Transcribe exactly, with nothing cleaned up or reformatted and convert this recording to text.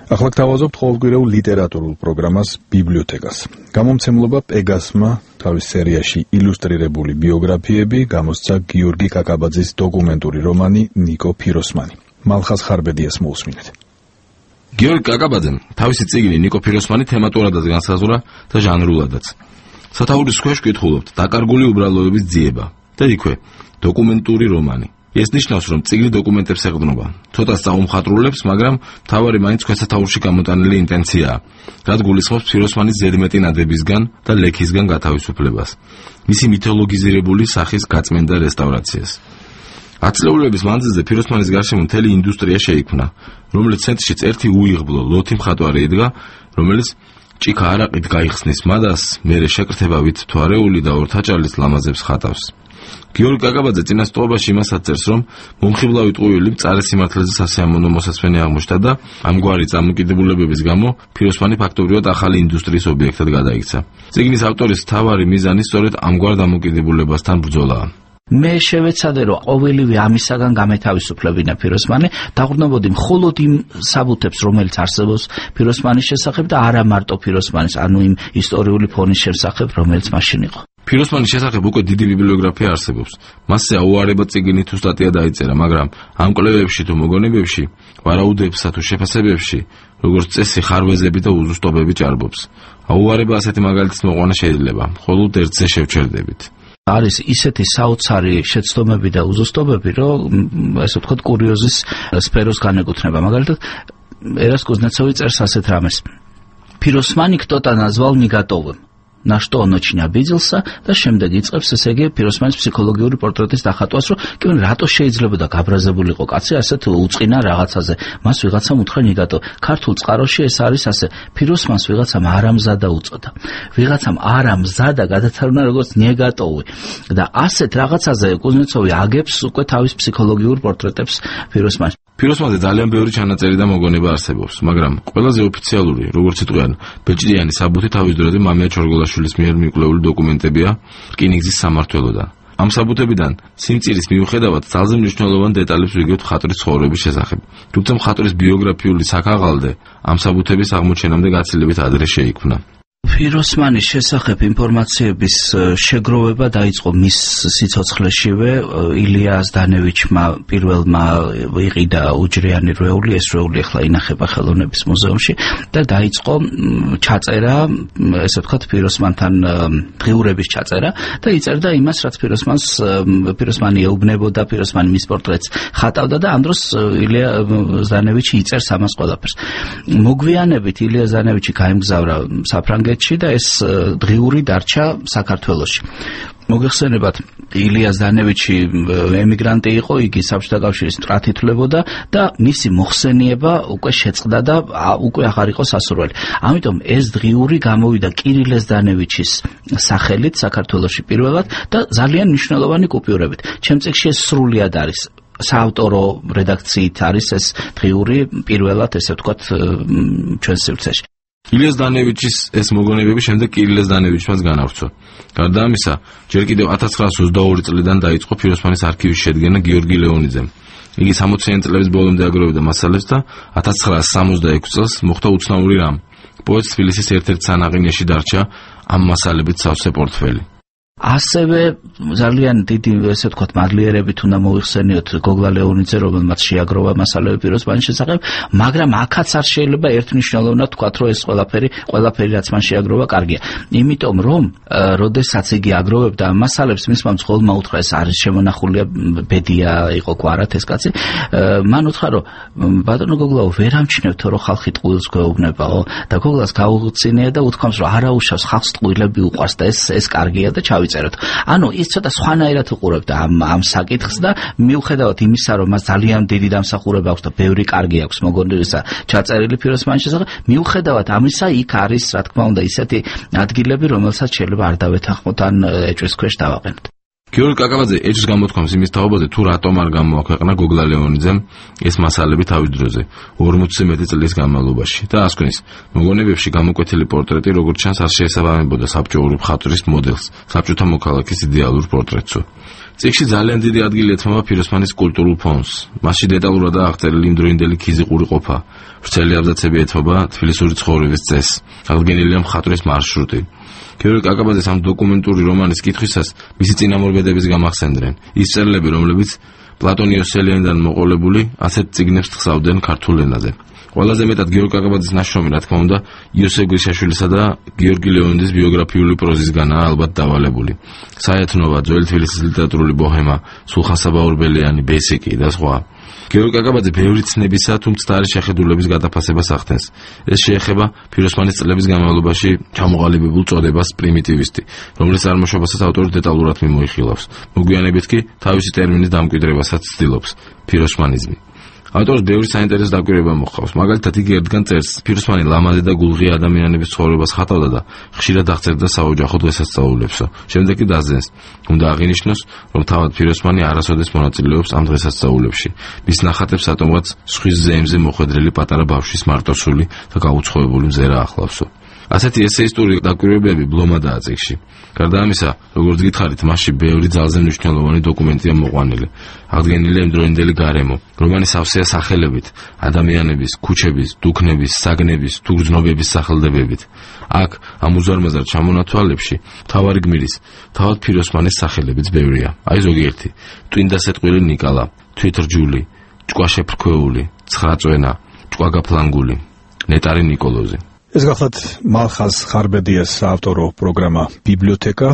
ახლა გთავაზობთ ყოველკვირეულ ლიტერატურულ პროგრამას ბიბლიოთეკას. გამომცემლობა პეგასმა თავის სერიაში ილუსტრირებული ბიოგრაფიები გამოსცა გიორგი კაკაბაძის დოკუმენტური რომანი ნიკო ფიროსმანი. მალხაზ ხარბედიას მოусმინეთ. გიორგი კაკაბაძემ თავისი წიგნი ნიკო ფიროსმანი თემატურადაც განსაზღვრა და ჟანრულადაც. სათაურის ქვეშ ვკითხულობთ დაკარგული უბრალოების ძიება და იქვე დოკუმენტური რომანი. ეს ნიშნავს, რომ წიგნი დოკუმენტებს ეყრდნობა. ცოტა საუმხატვრულებს, მაგრამ მთავარი მაინც ქვესათაურში გამოტანილი ინტენციაა, რაც გულისხმობს ფიროსმანის ზედმეტი ნადებისგან და ლექისგან გათავისუფლებას, მისი მითოლოგიზირებული სახის გაწმენდა რესტავრაციას. ათწლეულების მანძილზე ფიროსმანის გარშემო მთელი ინდუსტრია შეიქმნა, რომელიც ცენტრშიც ერთი უიღბლო ლოთი მხატვარი იდგა, რომელიც ჭიქა არაყით გაიხსნის მადას, მერე შეკრთებავით თვარეული და ორთაჭალის ლამაზებს ხატავს. გიორგი კაკაბაძე წინასწრობაში იმასაც წერს, რომ მომხიბლავი ტყუილი მწარე სიმართლეზე სასიამოვნო მოსასვენი აღმოჩნდა და ამგვარი წამოკიდებულებების გამო ფიროსმანი ფაქტობრივად ახალი ინდუსტრიის ობიექტად გადაიქცა. წიგნის ავტორის მთავარი მიზანი სწორედ ამგვარ დამოკიდებულებასთან ბრძოლაა. მე შევეცადე, რომ ყოველივე ამისაგან გამეთავისუფლებინა ფიროსმანი, დაყრდნობოდი მხოლოდ იმ საბუთებს, რომელიც არსებობს ფიროსმანის შესახებ და არა მარტო ფიროსმანის, ანუ იმ ისტორიული ფონის შესახებ, რომელიც მაშინ იყო. ფიროსმანის შესახებ უკვე დიდი ბიბლიოგრაფია არსებობს. მასზე აუარება წიგნი თუ სტატია დაიწერა, მაგრამ ამ კვლევებში თუ მოგონებებში, ვარაუდებსა თუ შეფასებებში, როგორც წესი ხარვეზები და უზუსტობები ჭარბობს. აუარება ასეთი მაგალითის მოყვანა შეიძლება, მხოლოდ ერთზე შევჩერდებით. არის ისეთი საოცარი შეცდომები და უზუსტობები, რომ ესე ვთქვათ კურიოზის სფეროს განეკუთვნება. მაგალითად, ერას კუზნეცოვი წერს ასეთ რამეს. Фиросмани кто-то назвал неготовым. На что он очень обиделся და შემდეგ იწყებს ესე იგი ფიროსმანის ფსიქოლოგიური პორტრეტის დახატვას, რომ კი რატო შეიძლება და გაბრაზებულიყო კაცი ასეთ უწყინა რაღაცაზე. მას ვიღაცამ უთხრა ნეგატო. ქართულ წყაროში ეს არის ასე. ფიროსმანს ვიღაცამ არამზადა უწოდა. ვიღაცამ არამზადა გადათარგმნა როგორც ნეგატოვი. და ასეთ რაღაცაზე კუზნეცოვი აგებს უკვე თავის ფსიქოლოგიურ პორტრეტებს ფიროსმანის. ფიროსმანზე ძალიან ბევრი ჩანაწერი და მოგონება არსებობს, მაგრამ ყველაზე ოფიციალური, როგორც იტყვიან, ბეჭდიანი საბუთი თავის დროზე მამია ჩორგოლაშვილის მიერ მიკვლეული დოკუმენტებია რკინიგზის სამმართველოდან. ამ საბუთებიდან სიმწირის მიუხედავად ძალზე მნიშვნელოვან დეტალებს ვიგებთ მხატვრის ცხოვრების შესახებ. თუმცა მხატვრის ბიოგრაფიული საქაღალდე ამ საბუთების აღმოჩენამდე გაცილებით ადრე შეიქმნა. ფიროსმანის შესახებ ინფორმაციების შეგროვება დაიწყო მის სიცოცხლეშივე. ილია ზდანევიჩმა პირველმა იყიდა უჯრიანი რვეული, ეს რვეული ახლა ინახება ხელოვნების მუზეუმში და დაიწყო ჩაწერა, ესე ვთქვათ, ფიროსმანთან დღიურების ჩაწერა და იწერდა იმას, რაც ფიროსმანს ფიროსმანი ეუბნებოდა, ფიროსმანი მის პორტრეტს ხატავდა და ამ დროს ილია ზდანევიჩი იწერს ამას ყველაფერს. მოგვიანებით ილია ზდანევიჩი გაემგზავრა საფრანგეთში და ეს დღიური დარჩა საქართველოში. მოგეხსენებათ, ილია ზდანევიჩი ემიგრანტი იყო, იგი საბჭოთა კავშირის მტრად ითვლებოდა და მისი მოხსენიება უკვე შეწყდა და უკვე აღარ იყო სასურველი. ამიტომ ეს დღიური გამოვიდა კირილე ზდანევიჩის სახელით საქართველოში პირველად და ძალიან მნიშვნელოვანი კუპიურებით. ჩემ წიგნში ეს სრულად არის. საავტორო რედაქციით არის ეს დღიური პირველად, ესე ვთქვათ, ჩვენს სივრცეში. ილია ზდანევიჩის ეს მოგონებები შემდეგ კირილე ზდანევიჩმაც განავრცო. გარდა ამისა, ჯერ კიდევ ათას ცხრაასი ოცდაორი წლიდან დაიწყო ფიროსმანის არქივის შედგენა გიორგი ლეონიძემ. იგი სამოციანი წლების ბოლომდე აგროვებდა მასალებს და ათას ცხრაასი სამოცდაექვსი წელს მოხდა უცნაური რამ. პოეტს თბილისის ერთ-ერთ სანაყინიაში დარჩა ამ მასალებით სავსე პორტფელი. ასევე ძალიან დიდი, ესე ვთქვათ, მადლიერებით უნდა მოიხსენიოთ გოგლა ლეონიძე, რომელმაც შეაგროვა მასალები ფიროსმანის შესახებ, მაგრამ აქაც არ შეიძლება ერთმნიშვნელოვნად ვთქვათ, რომ ეს ყველაფერი, ყველაფერი რაც მან შეაგროვა, კარგია. იმიტომ რომ, როდესაც იგი აგროვებდა ამ მასალებს, მისმა მძღოლმა უთხრა, ეს არის შემონახულია, ბედია იყო გვარად ეს კაცი. მან უთხრა, რომ ბატონო გოგლაო, ვერ ამჩნევთ, რომ ხალხი ტყუილს გვეუბნებაო და გოგლას გაუღწინია და უთქვამს, რომ არა უშავს ხალხს ტყუილები უყვარს და ეს ეს კარგია და ჩავი ანუ ის ცოტა სხვანაირად უყურებდა ამ ამ საკითხს და მიუხედავად იმისა, რომ მას ძალიან დიდი დამსახურება აქვს და ბევრი კარგი აქვს მოგონებისა ჩაწერილი ფიროსმანის შესახებ, მიუხედავად ამისა, იქ არის, რა თქმა უნდა, ისეთი ადგილები, რომელსაც შეიძლება არ დავეთანხმოთ ან ეჭვის ქვეშ დავაყენოთ. გიორგი კაკაბაძე ეჭვს გამოთქვამს იმის თაობაზე, თუ რატომ არ გამოაქვეყნა გოგლა ლეონიძემ ეს მასალები თავის დროზე ორმოცზე მეტი წლის განმავლობაში და ასკვნის მოგონებებში გამოკვეთილი პორტრეტი როგორც ჩანს არ შეესაბამებოდა საბჭოური მხატვრის მოდელს, საბჭოთა მოქალაქის იდეალურ პორტრეტსო. წიგნში ძალიან დიდი ადგილი ეთმობა ფიროსმანის კულტურულ ფონს. მასში დეტალურადაა აღწერილი იმდროინდელი ქიზიყური ყოფა, ვრცელი აბზაცები ეთმობა თბილისური ცხოვრების წესს, აღდგენილია მხატვრის მარშრუტი. გიორგი კაკაბაძეს ამ დოკუმენტური რომანის კითხვისას მისი წინამორბედების გამახსენდნენ. ის წერილები, რომლებიც პლატონ იოსელიანიდან მოყოლებული, ასეთ წიგნებს ხსავდნენ ქართულ ენაზე. ყველაზე მეტად გიორგი კაკაბაძის ნაშრომი, რა თქმა უნდა, იოსებ გვიშაშვილისა და გიორგი ლეონიძის ბიოგრაფიული პროზისგანაა ალბათ დავალებული. საეთნოვა, ძველი თბილისის ლიტერატურული ბოჰემა, სულხან საბაურბელიანი, ბესიკი და სხვა. გიორგი კაკაბაძე ბევრი ცნებისა თუ მცდარი შეხედულების გადაფასებას ახდენს. ეს შეეხება ფიროსმანის წლების განმავლობაში ჩამოყალიბებულ წოდებას პრიმიტივისტი, რომლის წარმოშობასაც ავტორი დეტალურად მიმოიხილავს. მოგვიანებით კი თავისი ტერმინის დამკვიდრებასაც ცდილობს ფიროსმანიზმი. ავტორს ბევრი საინტერესო დაკვირვება მოჰყავს. მაგალითად, იგი ერთგან წერს, ფიროსმანი ლამაზი და გულღია ადამიანების ცხოვრებას ხატავდა და ხშირად აღწერდა საოჯახო დღესასწაულებსო. შემდეგ კი დაძენს, უნდა აღინიშნოს, რომ თავად ფიროსმანი არასოდეს მონაწილეობს ამ დღესასწაულებში. მის ნახატებს ატომღაც სხვის ზეიმზე მოხვედრილი პატარა ბავშვის მარტოსული და გაუცხოებული მზერა ახლავსო. ასეთი ესეისტური დაკვირვებები ბლომადაა წიგნში. გარდა ამისა, როგორც გითხარით, მასში ბევრი ძალზე მნიშვნელოვანი დოკუმენტია მოყვანილი. აღდგენილია იმდროინდელი გარემო, რომანის სავსეა სახელებით, ადამიანების, ქუჩების, დუქნების, საგნების, თუ გრძნობების სახელდებებით. აქ ამ უზარმაზარ ჩამონათვალებში მთავარი გმირის, თავად ფიროსმანის სახელებიც ბევრია. აი ზოგიერთი: ტვინდასეტყვილი ნიკალა, თვითრჯული, ჭკვაშეფრქვეული, ცხრაწვენა, ჭკვაგაფლანგული, ნეტარი ნიკოლოზი. ეს გახლავთ მალხაზ ხარბედიას საავტორო პროგრამა ბიბლიოთეკა.